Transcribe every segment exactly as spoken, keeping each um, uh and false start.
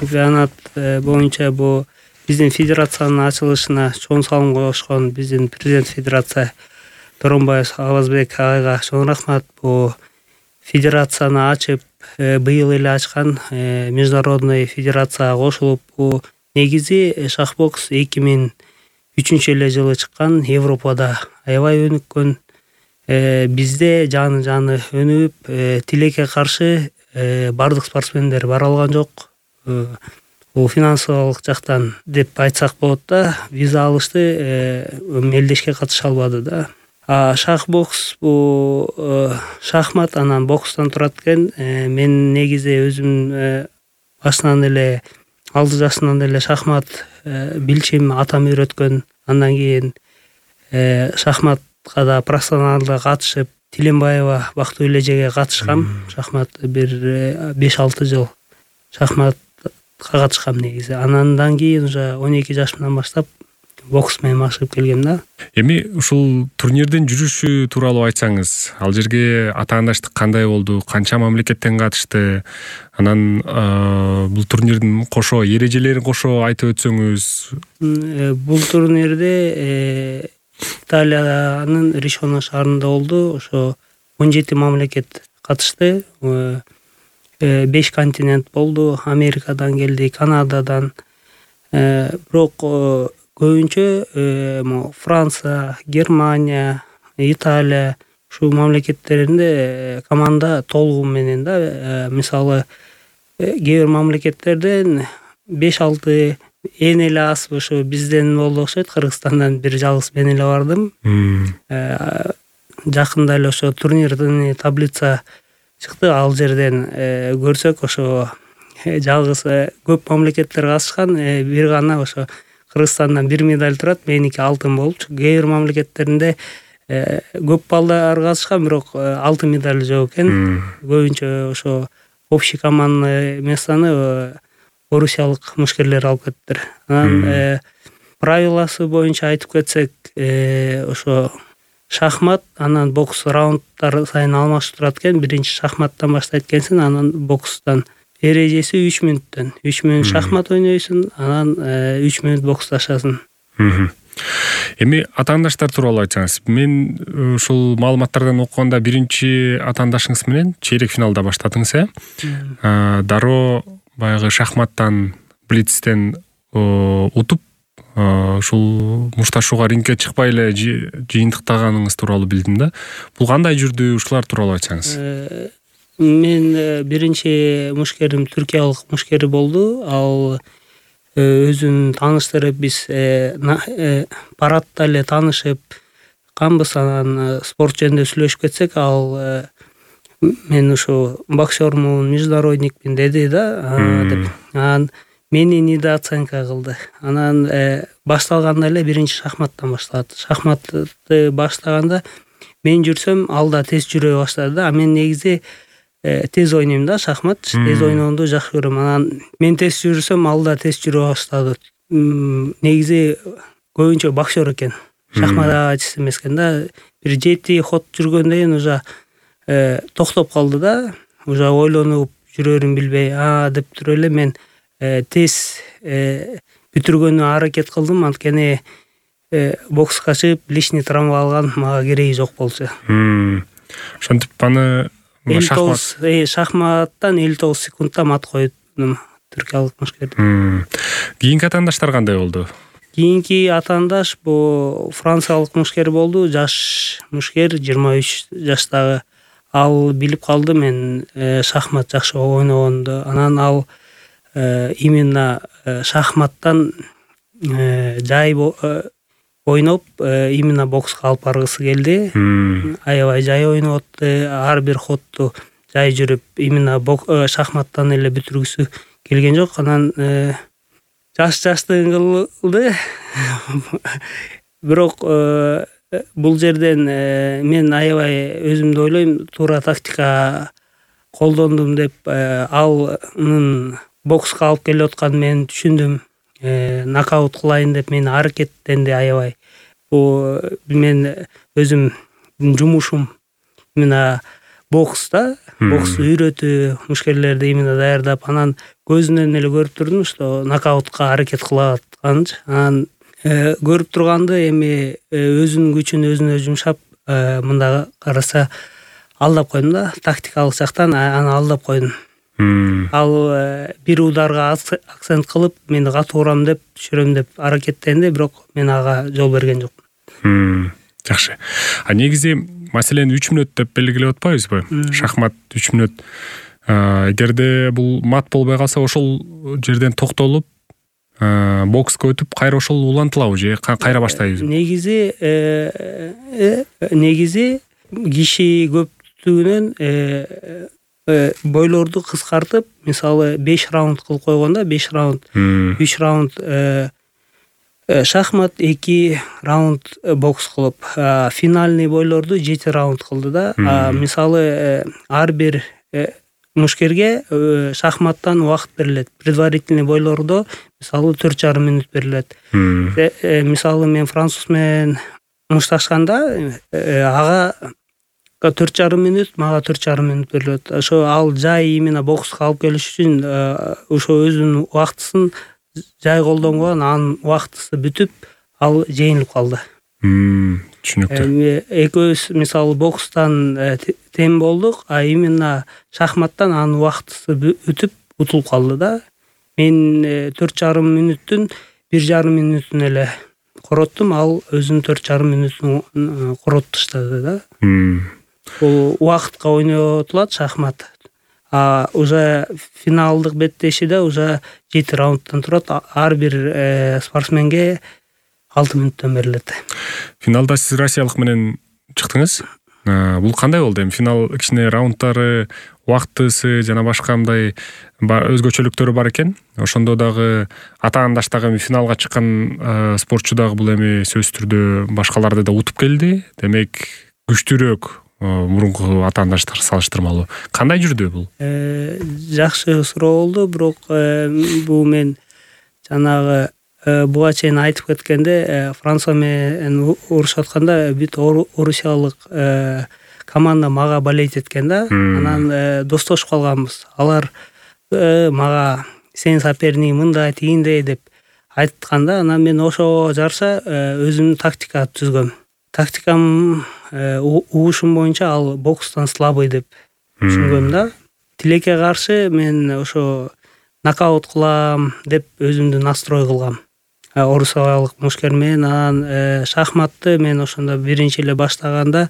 чемпионат боюнча бу биздин федерациянын ачылышына чоң салым кошкон биздин президент федерация Торонбаев Алазбек агайга чоң рахмат. Бу федерацияны ачып, быйыл эле ачкан международный федерацияга кошулуп, бу негизи шахбокс эки миң үчүнчү эле жылы чыккан, Европада аябай өнүккөн. Бизде жаны жаны өнүгүп, тилекке каршы бардык спортсмендер бара алган жок. Бул финансылык жактан деп айтсак болот да, виза алышты, мелдешке катыша албады да. А шахбокс бул шахмат анан бокстан турат экен. Мен негизи өзүм башынан эле алты жашынан эле шахмат билчим, атам үйрөткөн. Андан кийин шахматка да профессионалдуу катышып, Тиленбаева Бактыгүл эжеге катышкам. Шахмат бир беш алты жыл шахматка катышкам негизи. Андан кийин уже он эки жашымдан баштап бокс менен машыгып келгем да. Эми ушул турнирдин жүрүшү тууралуу айтсаңыз, ал жерге атаандаштык кандай болду, канча мамлекеттен катышты, анан бул турнирдин кошо эрежелерин кошо айтып өтсөңүз. Бул турнирде Италиянын Ришоно шаарында болду. Ошо он жети мамлекет катышты. беш континент болду. Америкадан келди, Канададан. Бирок көбүнчө Франция, Германия, Италия ушул мамлекеттеринде команда толугу менен да. Мисалы, кээ бир мамлекеттерден беш алты эң эле аз ошо бизден болду окшойт. Кыргызстандан бир жалгыз мен эле бардым. Жакында эле ошо турнирдин таблица чыкты. Ал жерден көрсөк, ошо жалгыз көп мамлекеттер катышкан, бир гана ошо Кыргызстандан бир медаль турат, меники алтын болчу. Кээ бир мамлекеттеринде көп балдар катышкан, бирок алтын медаль жок экен. Көбүнчө ошо общий командный местоны орусиялык мушкерлер алып кеттир. Анан правиласы боюнча айтып кетсек, ошо шахмат, анан бокс раундтар сайын алмашып турат экен. Биринчи шахматтан баштайт экенсиң, анан бокстан. Эрежеси үч мүнөттөн. үч мүнөт шахмат ойнойсуң, анан үч мүнөт боксташасың. Эми атаандаштар тууралуу айтсаңыз. Мен ушул маалыматтардан окуганда биринчи атаандашыңыз менен чейрек финалда баштадыңыз, э? Дароо баягы шахматтан, блицтен утуп, ушул мушташууга рингке чыкпай эле жыйынтыктаганыңыз тууралуу билдим да. Бул кандай жүрдү? Ушулар тууралуу айтсаңыз. Мен биринчи мушкерим түркиялык мушкери болду. Ал өзүн тааныштырып, биз парадта эле таанышып канбыз. Анан спорт жөнүндө сүйлөшүп кетсек, ал мен ушу боксермун, международникмин деди да, деп. Анан мени недооценка кылды. Анан башталганда эле биринчи шахматтан башталат. Шахматты баштаганда мен жүрсөм, ал да тез жүрө баштады да. А мен негизи тез ойнойм да, шахмат, тез ойноону жакшы көрөм. Анан мен тез жүрсөм, ал да тез жүрө баштады. Негизи көбүнчө боксер экен. Шахматчы эмес экен да. Бир жети ход жүргөндөн кийин уже токтоп калды да. Уже ойлонуп жүрөрүн билбей, а деп туруп эле мен тез бүтүргөнгө аракет кылдым. Анткени бокска чыгып, лишний травма алган, мага кереги жок болчу. Ошентип аны шахматтан элүү тогуз секундта мат койдум түркиялык мушкерди. Кийинки атаандаштар кандай болду? Кийинки атаандаш бул франциялык мушкер болду. Жаш мушкер, жыйырма үч жаштагы. Ал билип калды мен шахмат жакшы ойногонду. Анан ал именно шахматтан жай ойноп, именно бокска алып баргысы келди. Аябай жай ойноп атты, ар бир ходду жай жүрүп, именно шахматтан эле бүтүргүсү келген жок. Анан жаш жаштыгын кылды. Бирок бул жерден мен аябай өзүмдү ойлойм, туура тактика колдондум деп. Алнын бокска алып келип атканын мен түшүндүм. Нокаут кылайын деп мен аракеттенди аябай. Бул мен өзүм жумушум. Мына бокс да, бокс үйрөтүү, мушкерлерди именно даярдап, анан көзүнөн эле көрүп турдум, что нокаутка аракет кылып атканын. Анан көрүп турганды эми өзүнүн күчүн өзүнө жумшап, мында караса алдап койдум да, тактикалык жактан аны алдап койдум. Ал бир ударга акцент кылып, мени катуу урам деп, түшүрөм деп аракеттенди, бирок мен ага жол берген жокмун. Жакшы. А негизи маселени үч мүнөт деп белгилеп атпайбызбы? Шахмат үч мүнөт. Эгерде бул мат болбой калса, ошол жерден токтолуп, бокска өтүп, кайра ошол улантылабы же кайра баштайбызбы? Негизи негизи киши көптүгүнөн бойлорду кыскартып, мисалы беш раунд кылып койгондо, беш раунд, үч раунд шахмат, эки раунд бокс кылып, финальный бойлорду жети раунд кылды да. Мисалы ар бир мушкерге шахматтан убакыт берилет. Предварительный бойлордо мисалы төрт жарым мүнөт берилет. Мисалы мен француз менен мушташканда ага төрт жарым мүнөт, мага төрт жарым мүнөт берилет. Ошо ал жай именно бокска алып келиш үчүн ошо өзүнүн убактысын жай колдонгон, анын убактысы бүтүп, ал жеңилип калды. Түшүнүктүү. Экөөбүз мисалы бокстан тең болдук, а именно шахматтан анын убактысы бүтүп утулуп калды да. Мен төрт жарым мүнөттүн бир жарым мүнөтүн эле короттум, ал өзүнүн төрт жарым мүнөтүн коротуп таштады да. Бул убакытка ойнотулат шахмат. А уже финалдык беттешиде уже жети раундтан турат. Ар бир спортсменге алты мүнөттөн берилет. Финалда сиз россиялык менен чыктыңыз. Бул кандай болду? Эми финал кичине раундтары, убактысы жана башка мындай өзгөчөлүктөрү бар экен. Ошондо дагы атаандаш дагы финалга чыккан спортчу дагы бул эми сөзсүз түрдө башкаларды да утуп келди. Демек, күчтүүрөөк мурунку атаандаштар салыштырмалуу. Кандай жүрдү бул? Жакшы суроо болду, бирок бул мен жанагы буга чейин айтып кеткенде, Франция менен урушуп атканда бүт орусиялык команда мага болеть эткен да. Анан достошуп калганбыз. Алар мага сен соперник мындай, тигиндей деп айтканда, анан мен ошо жараша өзүмдүн тактика түзгөм. Тактикам угушум боюнча ал бокстан слабый деп түшүнгөм да. Тилекке каршы мен ошо нокаут кылам деп өзүмдү настрой кылгам. Орусиялык мушкер менен. Анан шахматты мен ошондо биринчи эле баштаганда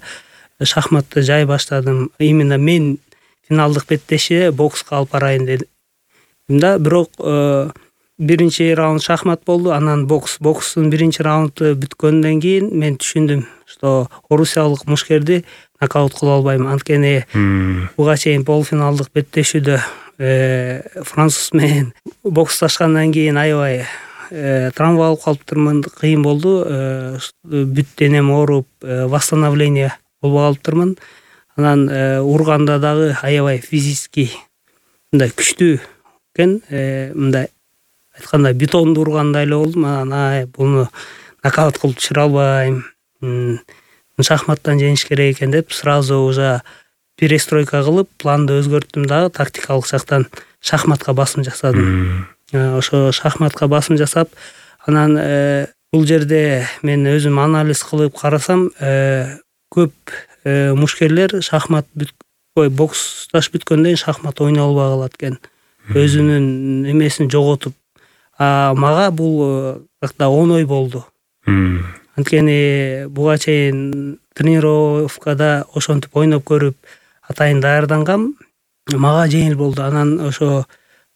шахматты жай баштадым. Именно мен финалдык беттеши бокска алып барайын дедим да. Бирок биринчи раунд шахмат болду, анан бокс. Бокстун биринчи раунду бүткөндөн кийин мен түшүндүм, что орусиялык мушкерди нокаут кыла албайм. Анткени буга чейин полуфиналдык беттешүүдө француз менен боксташкандан кийин аябай травма алып калыптырмын, кыйын болду. Бүт денем ооруп, восстановление болбой калыптырмын. Анан урганда дагы аябай физический мындай күчтүү экен, мындай айтканда бетонду ургандай эле болдум. Анан буну нокаут кылып түшүрө албайм. Шахматтан жеңиш керек экен деп сразу уже перестройка кылып, планды өзгөрттүм дагы, тактикалык жактан шахматка басым жасадым. Ошо шахматка басым жасап, анан бул жерде мен өзүм анализ кылып карасам, көп мушкерлер шахмат ой боксташ бүткөндөн кийин шахмат ойной албай калат экен. Өзүнүн эмесин жоготуп. А мага бул да оңой болду. Анткени буга чейин тренировкада ошентип ойноп көрүп, атайын даярдангам, мага жеңил болду. Анан ошо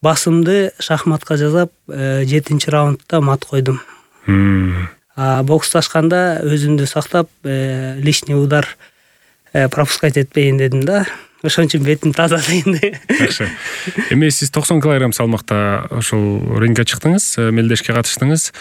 басымды шахматка жасап, жетинчи раундда мат койдум. А боксташканда өзүмдү сактап, лишний удар пропускать этпейин дедим да. Ошон үчүн бетим таза дегенде. Жакшы. Эми сиз токсон килограмм салмакта ошол рингге чыктыңыз, мелдешке катыштыңыз.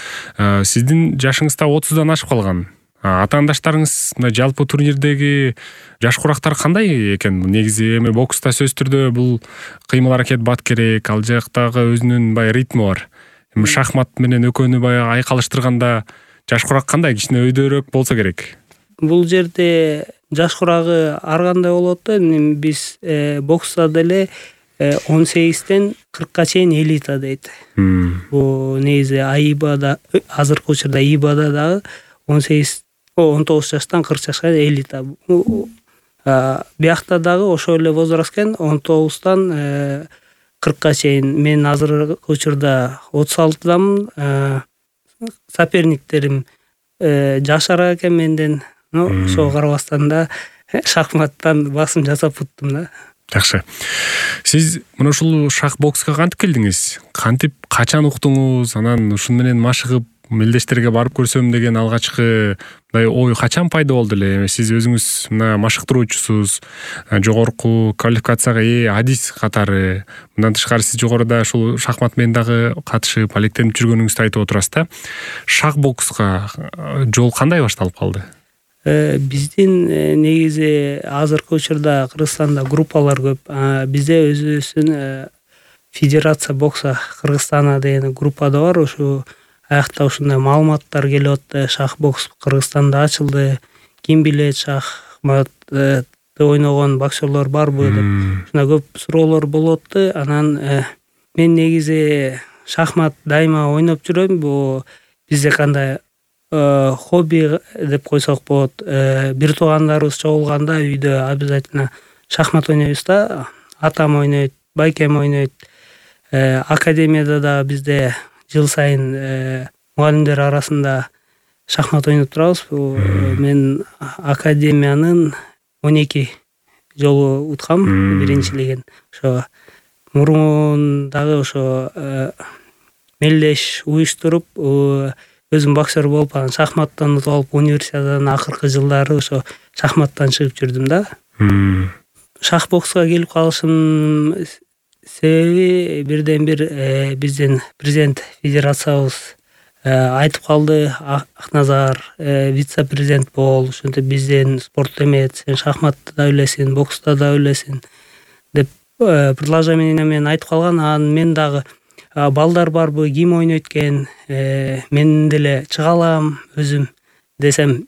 Сиздин жашыңыз да отуздан ашып калган. Атаандаштарыңыз мына жалпы турнирдеги жаш курактар кандай экен? Негизи эми бокста сөзсүз түрдө бул кыймыл аракет бат керек, ал жактагы өзүнүн бай ритми бар. Эми шахмат менен экөөнү баягы айкалыштырганда жаш курак кандай, кичине өйдөрөөк болсо керек? Бул жерде жаш курагы ар кандай болот да, биз бокста деле он сегизден кыркка чейин элита дейт. Бул негизи аибада азыркы учурда аибада дагы он сегиз он тогуз жаштан кырк жашка элита. Биякта дагы ошол эле возраст экен, он тогуздан кыркка чейин. Мен азыркы учурда отуз алтыдамын. Соперниктерим жашараак экен менден. Ну, ошого карабастан да шахматтан басым жасап буттум да. Жакшы. Сиз мына ушул шах бокска кантип келдиңиз? Кантип, качан уктуңуз? Анан ушун менен машыгып мелдештерге барып көрсөм деген алгачкы мындай ой качан пайда болду эле? Сиз өзүңүз мына машыктыруучусуз, жогорку квалификацияга ээ адис катары. Мындан тышкары сиз жогоруда ушул шахмат менен дагы катышып, алектенип жүргөнүңүздү айтып отурасыз да. Шах бокска жол кандай башталып калды? Биздин негизи азыркы учурда Кыргызстанда группалар көп. Бизде өзүбүздүн Федерация бокса Кыргызстана деген группада бар. Ошо аякта ушундай маалыматтар келип атты. Шах бокс Кыргызстанда ачылды. Ким билет, шахматты ойногон боксерлор барбы деп. Ушундай көп суроолор болуп атты. Анан мен негизи шахмат дайыма ойноп жүрөм. Бул бизде кандай хобби деп койсок болот. Бир туугандарыбыз чогулганда үйдө обязательно шахмат ойнойбуз да. Атам ойнойт, байкем ойнойт. Академияда да бизде жыл сайын мугалимдер арасында шахмат ойноп турабыз. Мен академиянын он эки жолу уткам, биринчилигин. Ошо мурун дагы ошо мелдеш уюштуруп өзүм боксер болуп, анан шахматтан утуп алып, универсиададан акыркы жылдары ошо шахматтан чыгып жүрдүм да. Шах бокска келип калышым себеби бирден бир биздин президент федерациябыз айтып калды: Акназар, вице-президент бол, ошентип биздин спорт эмет, сен шахматты да билесиң, бокста да билесиң деп предложение менен айтып калган. Анан мен дагы балдар барбы, ким ойнойт экен, мен деле чыга алам өзүм десем,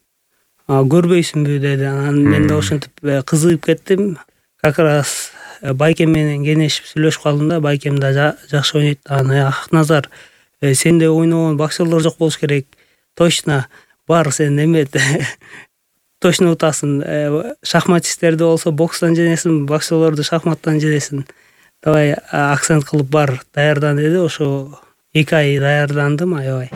көрбөйсүңбү деди. Анан мен да ошентип кызыгып кеттим. Как раз байкем менен кеңешип сүйлөшүп калдым да. Байкем да жакшы ойнойт. Анан Акназар, сенде ойногон боксерлор жок болуш керек. Точно бар, сен эмет точно утасың. Шахматисттерди болсо бокстан жеңесиң, боксерлорду шахматтан жеңесиң. Давай акцент кылып бар, даярдан деди. Ошо эки ай даярдандым, аябай.